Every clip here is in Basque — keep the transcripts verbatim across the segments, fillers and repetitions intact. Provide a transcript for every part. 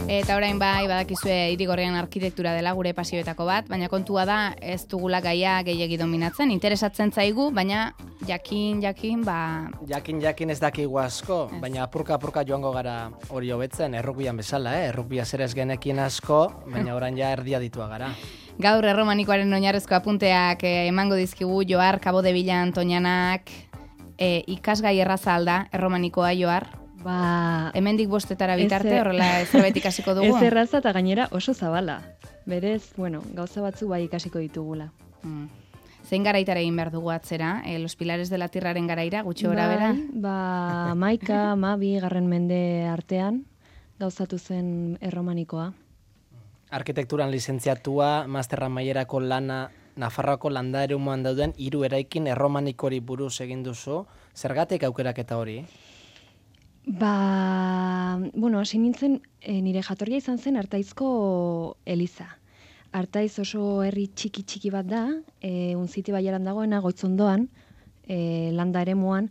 Eta orain bai, badakizue Irigorrian arkitektura dela gure pasioetako bat, baina kontua da ez dugula gaia gehiegi dominatzen, interesatzen zaigu, baina jakin, jakin, ba... Jakin, jakin ez dakigu asko, ez. Baina apurka-apurka joango gara hori hobetzen, errukbian bezala, eh? Errukbia zer ez genekin asko, baina orain ja erdia ditua gara. Gaur erromanikoaren oinarrezko apunteak eh, emango dizkigu Joar Cabo de Villa Antonianak, eh, ikasgai erraza alda, erromanikoa Joar? Ba, hemendik bostetara bitarte, horrela zerbait ikasiko dugu? Ez erraza eta gainera oso zabala. Berez, bueno, gauza batzu bai ikasiko ditugula. Mm. Zein garaitara egin behar dugu atzera? Eh, Los Pilares de la Tierraren garaira, gutxi gora bera? Ba, maika, mabi, garren mende artean, gauzatu zen erromanikoa. Arkitekturan lizentziatua, masterra mailerako lana, Nafarroako landa eremuan dauden hiru eraikin erromanikori buruz egin duzu. Zergatik aukeraketa hori? Ba, bueno, hasi nintzen, e, nire jatorria izan zen Artaizko eliza. Artaiz oso herri txiki-txiki bat da, e, unziti baiaran dagoena, goitzondoan, e, landa eremuan,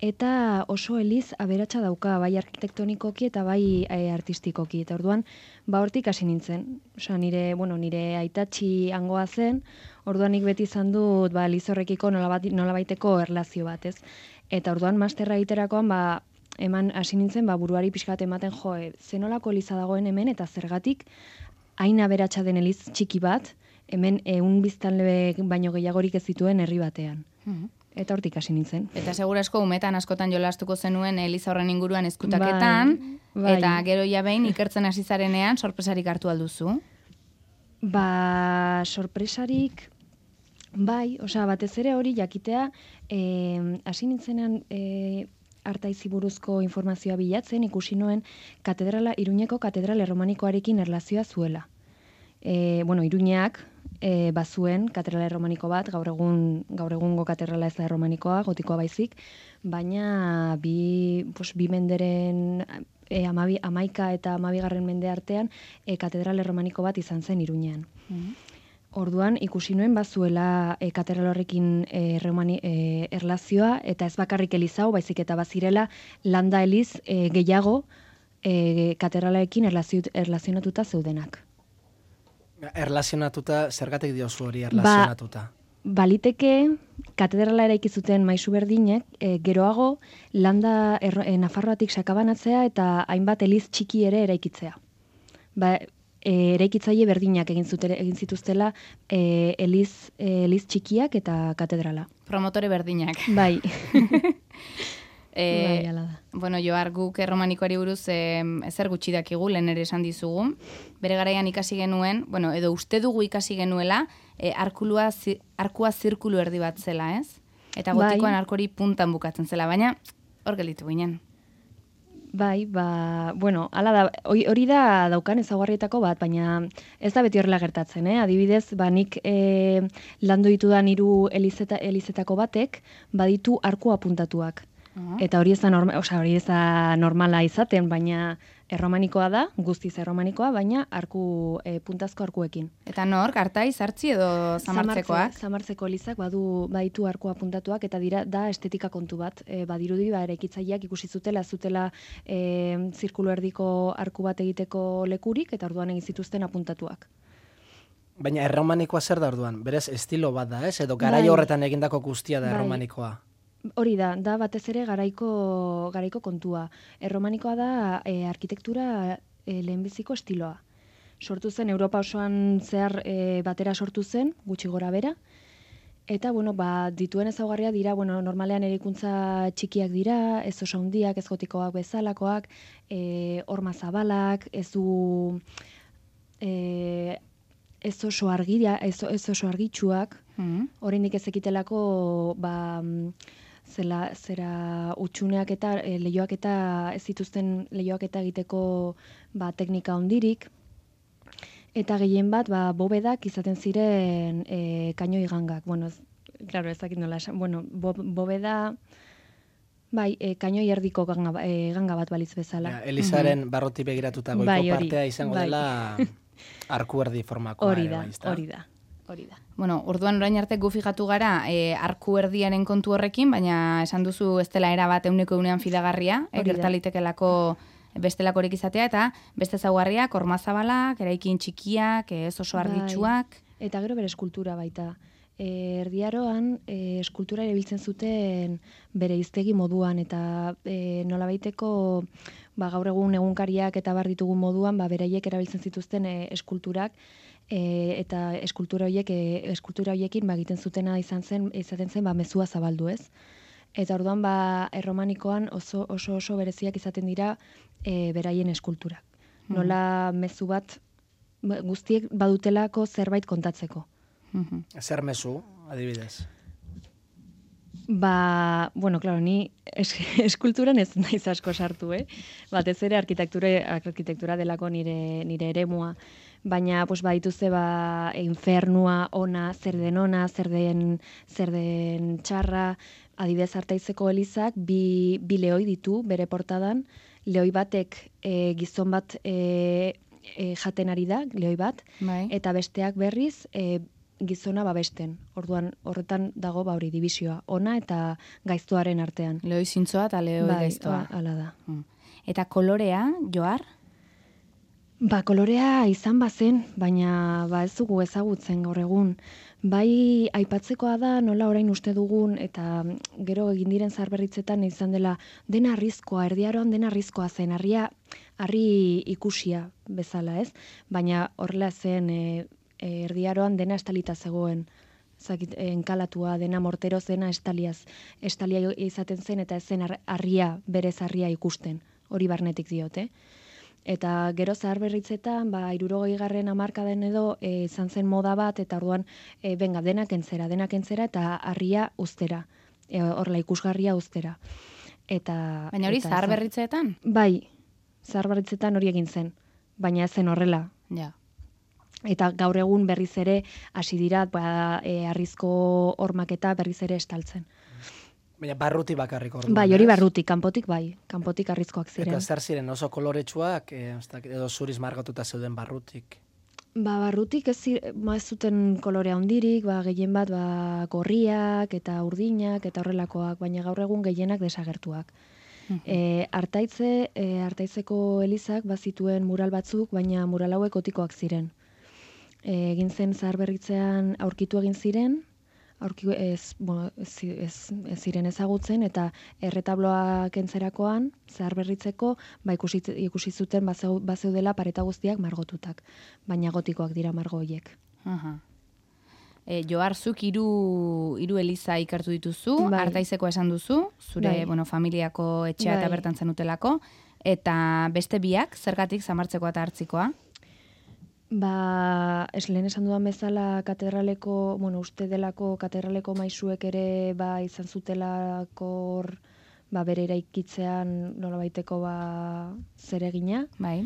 eta oso eliz aberatsa dauka, bai arkitektonikoki eta bai e, artistikoki. Eta orduan, ba hortik hasi nintzen. Osa, nire, bueno, nire aitatxi hangoa zen, orduan nik beti izan dut, ba, elizorrekiko nolabaiteko erlazio bat, ez? Eta orduan, masterra egiterakoan, ba, eman hasi nintzen, ba, buruari pixkat ematen jo, e, zenolako eliza dagoen hemen, eta zergatik hain aberatsa den eliz txiki bat, hemen ehun biztanle baino gehiagorik ez zituen herri batean. Mm-hmm. Eta hortik hasi nintzen. Eta segurasko umetan askotan jolastuko zenuen eliza horren inguruan ezkutaketan, bai, bai. Eta gero ja behin ikertzen hasi zarenean sorpresarik hartu alduzu? Ba, sorpresarik, bai, osea, batez ere hori jakitea, eh, hasi nintzenan, eh, Artaizi buruzko informazioa bilatzen, ikusi nuen katedrala, Iruñeko katedral erromanikoarekin erlazioa zuela. E, bueno, Iruñeak e, bazuen katedrala erromaniko bat, gaur egun gaur egungo katedrala ez da erromanikoa, gotikoa baizik, baina bi, pues, bi menderen e, amabi, amaika eta amabigarren mende artean e, katedral erromaniko bat izan zen Iruñean. Mm-hmm. Orduan, ikusi nuen bazuela e, katedral horrekin e, remani, e, erlazioa, eta ez bakarrik elizau, baizik eta bazirela landa eliz e, gehiago e, katedralarekin erlazio, erlazionatuta zeudenak. Erlazionatuta, zergatik diozu hori erlazionatuta? Ba, baliteke, katedrala eraiki zuten maisu berdinek, e, geroago landa er, e, Nafarroatik sakabanatzea eta hainbat eliz txiki ere eraikitzea. Ba, E, eraikitzaile berdinak egin zutera, egin zituztela e, eliz, e, eliz txikiak eta katedrala. Promotore berdinak. Bai. e, bai, ala da. Bueno, Joar, guk erromanikoari buruz e, ezer gutxi dakigu, lehen ere esan dizugu. Bere garaian ikasi genuen, bueno, edo uste dugu ikasi genuela, e, arkulua, zi, arkua zirkulu erdi bat zela, ez? Eta gotikoan bai. Arkori puntan bukatzen zela, baina hor gelditu ginen. Bai, ba, bueno, ala da, hori da daukan ezaugarrietako bat, baina ez da beti horrela gertatzen, eh? Adibidez, ba, nik e, landu ditudan hiru elizeta, elizetako batek, baditu arku apuntatuak. Uh-huh. Eta hori ez da, norma, oza, hori ez da normala izaten, baina erromanikoa da, guztiz erromanikoa, baina arku, e, puntazko arkuekin. Eta nork, Artaiz, Artzi edo Zamartzekoak? Zamartzeko elizak badu baditu arku apuntatuak, eta dira da estetika kontu bat. E, badirudi, ba, eraikitzaileak ikusi zutela, zutela e, zirkulu erdiko arku bat egiteko lekurik, eta orduan egin zituzten apuntatuak. Baina erromanikoa zer da orduan? Berez estilo bat da, ez? Edo garai horretan egindako guztia da erromanikoa? Hori da, da batez ere garaiko, garaiko kontua. Erromanikoa da e, arkitektura e, lehenbiziko estiloa. Sortu zen, Europa osoan zehar e, batera sortu zen, gutxi gora bera. Eta, bueno, ba, dituen ezaugarria dira, bueno, normalean erikuntza txikiak dira, ez oso handiak, ez gotikoak bezalakoak, e, horma zabalak, ez du e, ez oso argia, ez, ez oso argitsuak, mm-hmm. Oraindik ez ekitelako, ba, zela, zera utxuneak eta e, lehioak eta ez zituzten lehioak eta egiteko ba, teknika hondirik. Eta gehien bat, ba, bobedak izaten ziren e, kainoi gangak. Bueno, ez, claro, ez dakit nola esan. Bueno, bo, bobeda, bai, e, kainoi erdiko ganga, e, ganga bat baliz bezala. Ja, Elizaren mm-hmm. barroti begiratuta goiko bai, partea izango bai. Dela arku erdi formakoa. Hori da, hori da. Hori da. Bueno, orduan orain arte gu fijatu gara e, arku erdiaren kontu horrekin, baina esan duzu ez dela era bat euneko eunean fidagarria, e, gertalitekelako bestelakorik izatea, eta beste zaugarriak, ormazabalak, eraikin txikiak, ez oso argitsuak. Bai. Eta gero bere eskultura baita. E, erdiaroan e, eskultura erabiltzen zuten bere hiztegi moduan, eta e, nolabaiteko ba, gaur egun egunkariak eta bar ditugun moduan, ba, beraiek erabiltzen zituzten e, eskulturak, e, eta eskultura horiek e, eskultura horiekin ba, egiten zutena izan zen, izaten zen ba, mezua zabaldu, ez? Eta orduan ba, erromanikoan oso oso, oso bereziak izaten dira e, beraien eskulturak. Nola mezu bat guztiek badutelako zerbait kontatzeko. Zer mezu, adibidez? Ba, bueno, claro, ni es, eskulturan ez naiz asko sartu, eh? Batez ere arkitektura, arkitektura delako nire, nire eremua. Baina, pues, badituzte, ba, infernua, ona, zer den ona, zer den, zer den txarra. Adibidez Artaizeko elizak bi, bi lehoi ditu bere portadan. Lehoi batek e, gizon bat e, e, jaten ari da, lehoi bat, bai. Eta besteak berriz e, gizona babesten. Orduan horretan dago ba hori dibisioa, ona eta gaiztoaren artean. Lehoi zintzoa eta lehoi bai, gaiztoa. Ba, hala da. Mm. Eta kolorea, Johar? Ba, kolorea izan bazen, baina ba ez dugu ezagutzen gaur egun. Bai, aipatzekoa da nola orain uste dugun, eta gero egin diren zaharberritzetan izan dela dena arrizkoa, erdiaroan dena arrizkoa zen, harria, harri ikusia bezala, ez? Baina horrela zen e, erdiaroan dena estalita zegoen, zakit, enkalatua dena morteroz dena estaliaz, estalia izaten zen eta ez zen harria, berez harria ikusten, hori barnetik diote. Eta gero zaharberritzetan, ba, hirurogei garren hamarkadan edo e, izan zen moda bat, eta orduan, e, benga, denak entzera, denak entzera, eta harria ustera, e, horrela ikusgarria ustera. Eta, Baina hori eta zaharberritzeetan? Bai, zaharberritzetan hori egin zen, baina ez zen horrela. Ja. Eta gaur egun berriz ere hasi dira ba, e, harrizko hormaketa berriz ere estaltzen. Baina barruti bakarrik orduan. Bai, hori barrutik, kanpotik bai, kanpotik harrizkoak ziren. Eta zer ziren oso koloretsuak, e, edo zuriz margatuta zeuden barrutik? Ba, barrutik ez, ma ez zuten kolorea hondirik, ba, gehien bat ba, gorriak eta urdinak eta horrelakoak, baina gaur egun gehienak desagertuak. E, Artaitze, e, Artaizeko elizak bazituen mural batzuk, baina mural hauek otikoak ziren. E, egin zen zaharberritzean aurkitu egin ziren, aurki ez, bueno, ez, ez, ez ziren ezagutzen, eta erretabloak entzerakoan, zaharberritzeko, ba, ikusi, ikusi zuten bazeu, bazeudela pareta guztiak margotutak, baina gotikoak dira margo horiek. Aha. E, Johar, zuk hiru hiru eliza ikertu dituzu, bai. Artaizeko esan duzu, zure bai. bueno, familiako etxea eta bai. bertan zenutelako, eta beste biak, zergatik zamartzekoa eta hartzikoa? Ba, ez lehen esan dudan bezala katedraleko, bueno, uste delako katedraleko maisuek ere ba, izan zutelako hor, ba, bere eraikitzean nolabaiteko ba, zeregina. Bai.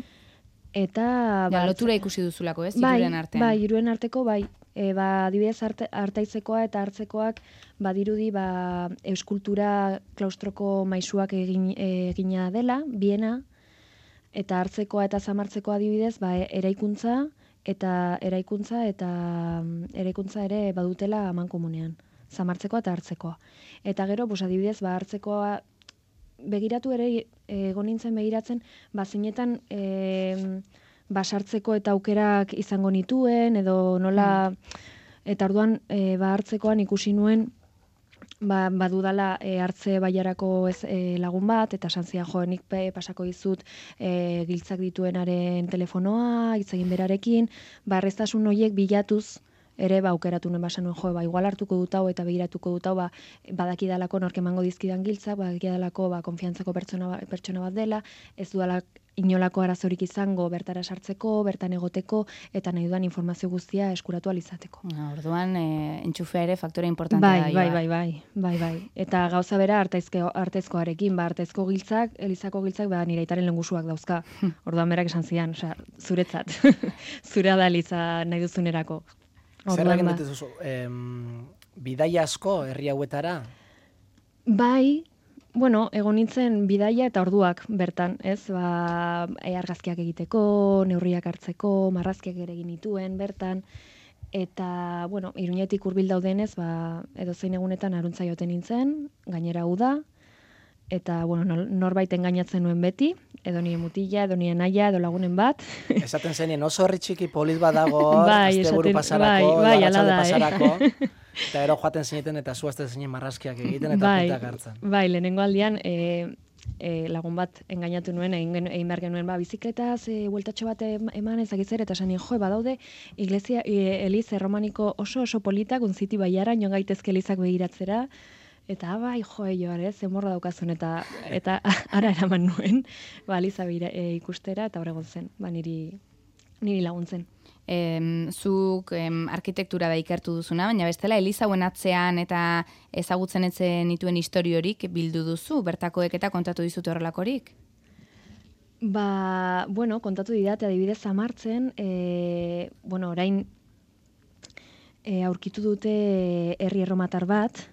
Eta... Ja, ba, lotura ikusi duzulako, ez? bai, Hiruren artean. Bai, hiruen arteko, bai. E, ba, adibidez arte, artaizekoa eta hartzekoak badirudi ba, euskultura klaustroko maisuak egin, egina dela, biena, eta hartzekoa eta zamartzekoa adibidez, ba, eraikuntza eta eraikuntza eta eraikuntza ere badutela amankomunean, zamartzekoa eta hartzekoa. Eta gero, pues, adibidez, ba, hartzekoa begiratu ere egon nintzen begiratzen, ba, zeinetan e, basartzeko eta aukerak izango nituen, edo nola, eta orduan e, ba, hartzekoan ikusi nuen, Ba, badudala e, hartze baiarako ez, e, lagun bat, eta santzia joenik pasako dizut e, giltzak dituenaren telefonoa, hitz egin berarekin, ba, erreztasun horiek bilatuz, ere ba, aukeratu nuen basan nuen, jo, ba, igual hartuko dut hau eta begiratuko dut hau, ba, badakidalako nork emango dizkidan giltzak, badakidalako ba, konfiantzako pertsona, pertsona bat dela, ez dudala inolako arazorik izango bertara sartzeko, bertan egoteko, eta nahi dudan informazio guztia eskuratu alizateko. Na, orduan, e, entxufea ere faktore importantea bai, da. Bai, bai, bai, bai, bai. Eta gauza bera artaizkoarekin, ba, artaizko giltzak, elizako giltzak, ba, nire aitaren lengusuak dauzka. Orduan berak esan zidan, osea, zuretzat. Zurea da eliza nahi duzunerako. Zer egin dituzu, em, bidaia asko herri hauetara? Bai, bueno, egon nintzen bidaia eta orduak bertan, ez? Ba, e, argazkiak egiteko, neurriak hartzeko, marrazkiak ere egin nituen bertan, eta, bueno, Iruñetik hurbil daudenez, ba, edozein egunetan aruntza joten nintzen, gainera uda, eta bueno, norbait engainatzen nuen beti, edo nire mutila, edo nire naia, edo lagunen bat. Esaten zenien oso herri txiki polit badago, bai, asteburu esaten, pasarako, bai, bai, arratsalde da, pasarako, eh? eta gero joaten zineten eta zuazte zinen marrazkiak egiten eta bai, puntak hartzen. Bai, lehenengo aldian, e, e, lagun bat engainatu nuen, egin, egin behar genuen, ba, bizikletaz, e, bueltatxo bat eman ezakizer, eta esan jo, badaude, iglesia, e, eliz erromaniko oso oso politak, unziti baiara, nion gaitezke elizak begiratzera, eta bai, joe joar, ez, zemorra daukazun, eta eta ara eraman nuen, ba, Eliza e, ikustera, eta horregon zen, ba, niri, niri laguntzen. Em, zuk em, arkitektura da ikertu duzuna, baina bestela Eliza hauen atzean eta ezagutzen etzen nituen historiorik bildu duzu, bertakoek eta kontatu dizute horrelakorik? Ba, bueno, kontatu didate adibidez Samartzen, e, bueno, orain e, aurkitu dute herri erromatar bat,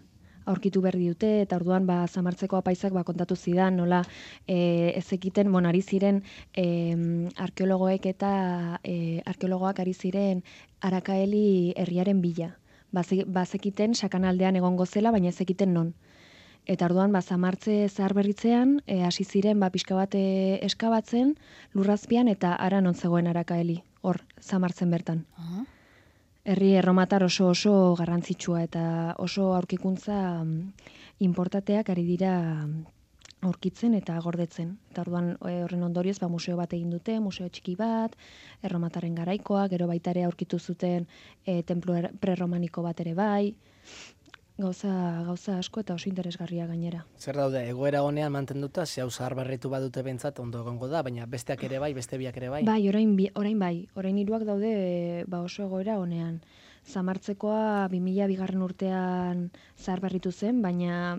aurkitu berri dute, eta orduan ba, Samartzeko apaisak ba, kontatu zidan, nola e, ez ekiten, bon, ari ziren e, arkeologoek eta e, arkeologoak ari ziren Arakaeli herriaren bila. Bazekiten sakanaldean egongo zela, baina ez ekiten non. Eta orduan ba, Samartze zahar berritzean, e, hasi ziren ba, pixka bat e, eskabatzen, lurrazpian, eta ara non zegoen Arakaeli, hor, Samartzen bertan. Uh-huh. Herri erromatar oso oso garrantzitsua eta oso aurkikuntza inportateak ari dira aurkitzen eta gordetzen. Eta orduan horren ondorioz ba, museo bat egin dute, museo txiki bat, erromataren garaikoa, gero baita ere aurkitu zuten e, templo prerromaniko bat ere bai, gauza, gauza asko eta oso interesgarria gainera. Zer daude, egoera honean mantenduta, ze hau zahar berritu badute behintzat ondo egongo da, baina besteak ere bai, beste biak ere bai? Bai, orain, orain bai, orain hiruak daude ba oso egoera honean. Samartzekoa bi mila bigarren urtean zahar berritu zen, baina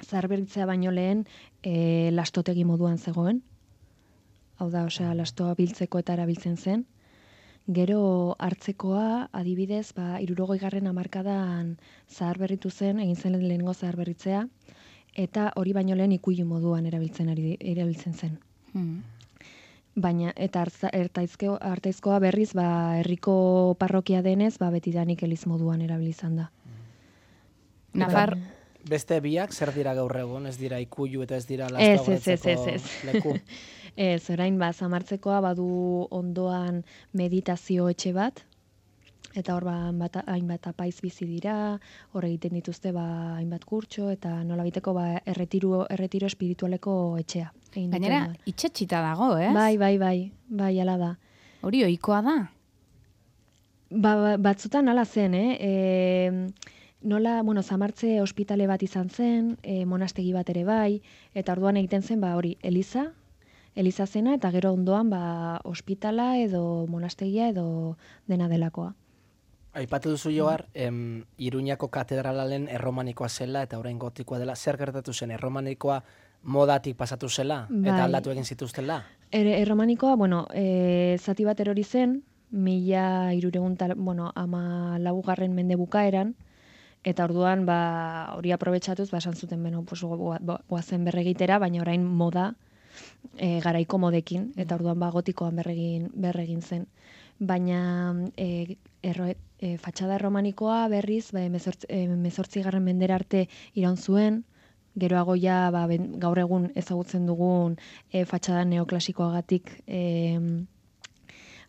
zahar berritzea baino lehen e, lastotegi moduan zegoen. Hau da, osea, lastoa biltzeko eta erabiltzen zen. Gero hartzekoa, adibidez, ba, hirurogeigarren hamarkadan zahar berritu zen, egin zen lehenengo zahar berritzea, eta hori baino lehen ikuilu moduan erabiltzen ari erabiltzen zen. Hmm. Baina, eta hartaizkoa berriz, ba, herriko parrokia denez, ba, betidanik eliz moduan erabilizan da. Nafar... Beste biak, zer dira gaur egun, ez dira ikuilu eta ez dira lastoa gordetzeko leku? Ez, orain ba, Samartzekoa badu ondoan meditazio etxe bat, eta hor ba, hainbat apaiz bizi dira, hor egiten dituzte ba, hainbat kurtso, eta nolabiteko ba, erretiro, erretiro espiritualeko etxea. Gainera, itxetxita dago, ez? Bai, bai, bai, bai, ala da. Hori ohikoa da? Ba, batzutan ala zen, eh? E, nola, bueno, Samartze ospitale bat izan zen, e, monastegi bat ere bai, eta orduan egiten zen, ba, hori, Eliza, Eliza zena, eta gero ondoan, ba, ospitala edo monastegia edo dena delakoa. Aipatu duzu Johar, em, Iruñako katedralaren erromanikoa zela eta orain gotikoa dela. Zer gertatu zen, erromanikoa modatik pasatu zela eta bai. aldatu egin zituztela? Er, erromanikoa, bueno, e, zati bat erori zen, mila hirureun, bueno, ama laugarren mende bukaeran, eta orduan, ba, hori aprobetxatuz, ba, esan zuten, beno, pues, goazen berregitera, baina orain moda, e, garaiko modekin, eta orduan, ba, gotikoan berregin, berregin zen. Baina, e, erro, e, fatxada erromanikoa berriz, ba, mezortzi garren mendera arte iraun zuen, geroago ja, ba, ben, gaur egun ezagutzen dugun e, fatxada neoklasikoagatik e,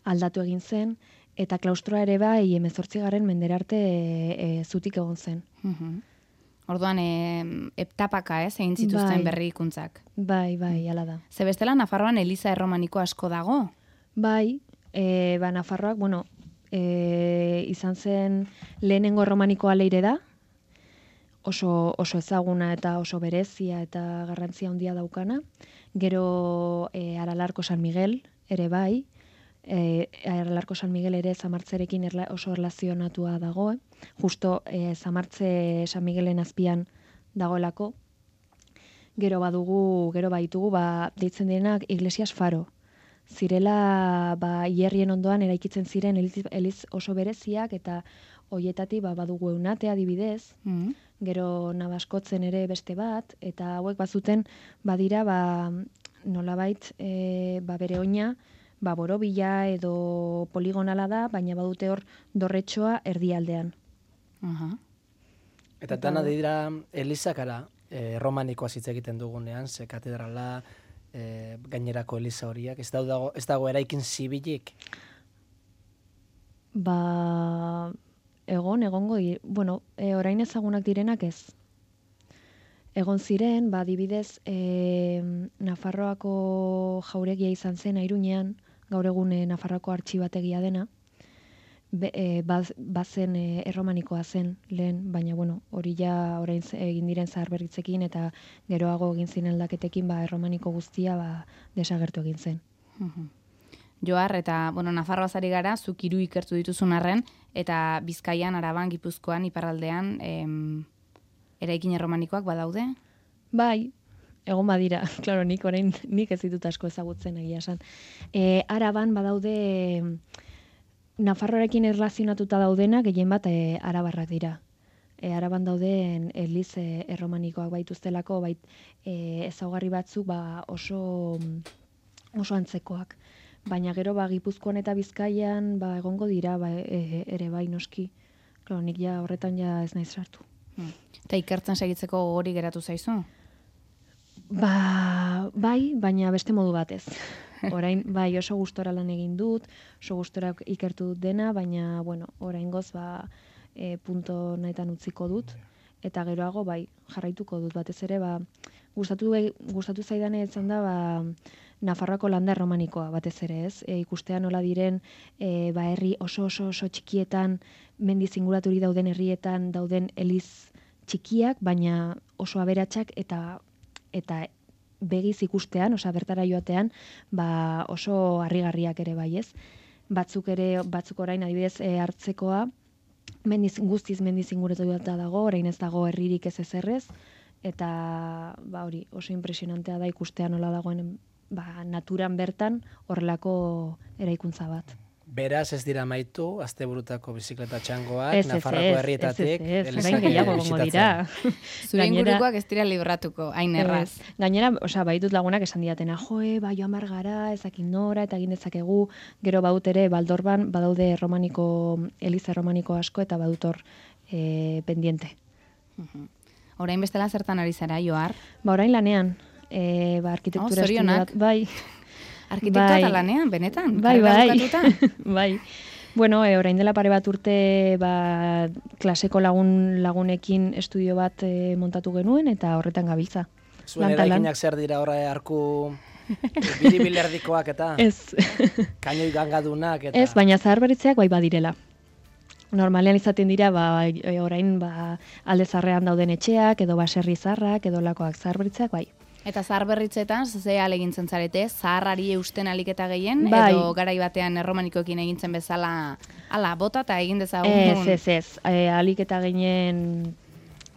aldatu egin zen, eta klaustroa ere bai, hemezortzigarren mendera arte e, e, zutik egon zen. Uh-huh. Orduan, e, etapaka, ez, egin zituzten bai. berrikuntzak. Bai, bai, ala da. Ze bestela, Nafarroan eliza erromaniko asko dago? Bai, e, ba, Nafarroak, bueno, e, izan zen lehenengo erromanikoa leire da, oso, oso ezaguna eta oso berezia eta garrantzia handia daukana. Gero e, Aralarko San Miguel ere bai, e, Aralarko San Miguel ere Samartzerekin erla, oso erlazionatua dago, eh? Justo e, Samartze San Miguelen azpian dagoelako. Gero badugu, gero baitugu, ba, deitzen direnak Iglesias Faro. Zirela, ba, hierrien ondoan eraikitzen ziren eliz, eliz oso bereziak, eta hoietatik ba, badugu Eunate adibidez, mm. Gero Nabaskotzen ere beste bat, eta hauek bazuten badira ba, nolabait e, ba, bere oina ba, borobila edo poligonala da, baina badute hor dorretxoa erdialdean. Uh-huh. Eta dana dira elizakara, e, romanikoa hitz egiten dugunean, ze katedrala, e, gainerako eliza horiak, ez dago, ez dago eraikin zibilik? Ba, egon, egongo, di, bueno, e, orain ezagunak direnak ez. Egon ziren, ba, adibidez, e, Nafarroako jauregia izan zen Airuñean, gaur egun e, Nafarroako artxibategia dena, Be, e, baz, bazen e, erromanikoa zen lehen, baina bueno, hori ja orain egin diren zaharberritzekin eta geroago egin ziren aldaketekin ba, erromaniko guztia ba, desagertu egin zen. Mhm. Joar, eta, bueno, Nafarroaz ari gara, zuk hiru ikertu dituzun arren, eta Bizkaian, Araban, Gipuzkoan, Iparraldean, em, eraikin erromanikoak badaude? Bai, egon badira, klaro, nik orain nik ez ditut asko ezagutzen egia esan. E, Araban badaude Nafarroarekin erlazionatuta daudena, gehien bat e, arabarrak dira. E, Araban dauden eliz e, erromanikoak baituztelako, bait e, ezaugarri batzuk ba, oso, oso antzekoak. Baina gero ba, Gipuzkoan eta Bizkaian ba, egongo dira ba, e, ere bai noski. Claro, nik ja horretan ja ez naiz sartu. Hmm. Eta ikertzen segitzeko hori geratu zaizu? Ba, bai, baina beste modu batez. Orain, bai, oso gustora lan egin dut, oso gustora ikertu dut dena, baina, bueno, oraingoz ba, e, punto nahitan utziko dut, eta geroago, bai, jarraituko dut, batez ere, ba, gustatu, gustatu zaidane etzan da, ba, Nafarroako landa erromanikoa, batez ere, ez? E, ikustea nola diren, e, ba, herri oso oso oso txikietan, mendiz inguraturi dauden herrietan, dauden eliz txikiak, baina oso aberatsak eta eta begiz ikustean, osea bertara joatean, ba oso harrigarriak ere bai, ez? Batzuk ere, batzuk orain adibidez e, hartzekoa, mendiz guztiz mendiz inguratuta dago, orain ez dago herririk ez ezerrez, eta ba hori, oso impresionantea da ikustea nola dagoen ba, naturan bertan horrelako eraikuntza bat. Beraz ez dira maitu, asteburutako bizikleta txangoak, Ez, ez, Nafarroako ez, herrietatik, ez, ez, ez, elizak orain gehiago gongo bisitatzen. dira. Zure Gainera- ingurukoak ez dira libratuko, hain erraz. Ez. Gainera, osea, baitut lagunak esan diatena, joe, ba, joan bar gara, ezakin nora, eta egin dezakegu, gero badut ere, Baldorban, badaude romaniko, eliza romaniko asko, eta badut hor e, pendiente. Mhm. Orain bestela zertan ari zara, Joar? Ba, orain lanean, e, ba, arkitektura Oh, zorionak. estudio bat, bai, Arkitektoa Bai. eta lanean, benetan? bai, Karrera bai, bukatuta? bai. Bueno, e, orain dela pare bat urte, ba, klaseko lagun lagunekin estudio bat e, montatu genuen, eta horretan gabiltza. Zuen Lan ta lan. eraikinak zer dira horre arku biribilerdikoak eta Ez. kainoi gangadunak eta... Ez, baina zaharberritzeak bai badirela. Normalean izaten dira, ba, e, orain ba, alde zarrean dauden etxeak, edo baserri zarrak, edo lakoak zaharberritzeak bai. Eta zaharberritzetan, ze alegintzen zarete, zaharrari eusten aliketa gehien, Bai. edo garai batean erromanikoekin egintzen bezala, ala, bota eta egin dezagun. Ez, ez, ez. E, alik eta gehien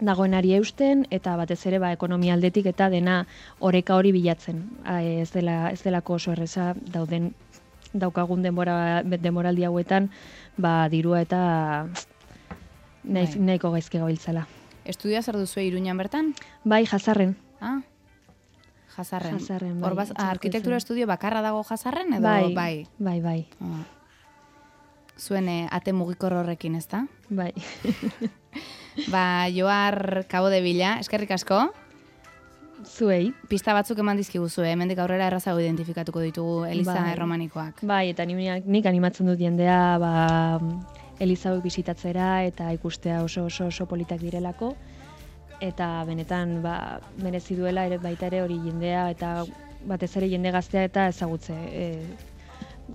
dagoenari eusten, eta batez ere ba, ekonomia aldetik eta dena oreka hori bilatzen. A, ez, dela, ez delako oso erreza dauden daukagun denbora, denboraldi hauetan, ba, dirua eta nahi, Bai. nahiko gaizki gabiltzala. Estudioa zer duzu Iruñan bertan? Bai, Jazarren. Ah? Jazarren. Jazarren, bai, Hor baz- etxeko arkitektura zen. estudio bakarra dago Jazarren, edo Bai, bai? bai, bai, Ah. Zuen eh, ate mugikor horrekin, ezta? bai. Ba, Joar Cabo de Villa, eskerrik asko. Zuei. Pista batzuk eman dizkiguzu, eh? Hemendik aurrera errazago identifikatuko ditugu eliza Bai. erromanikoak. Bai, eta ni, nik animatzen dut jendea ba, Eliza hauek bisitatzera eta ikustea oso oso oso politak direlako. Eta benetan ba, merezi duela ere baita ere hori jendea eta batez ere jende gaztea eta ezagutze, e,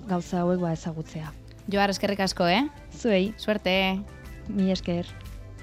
gauza hauek ba ezagutzea. Joar, eskerrik asko, eh? Zuei, Suerte! mi esker.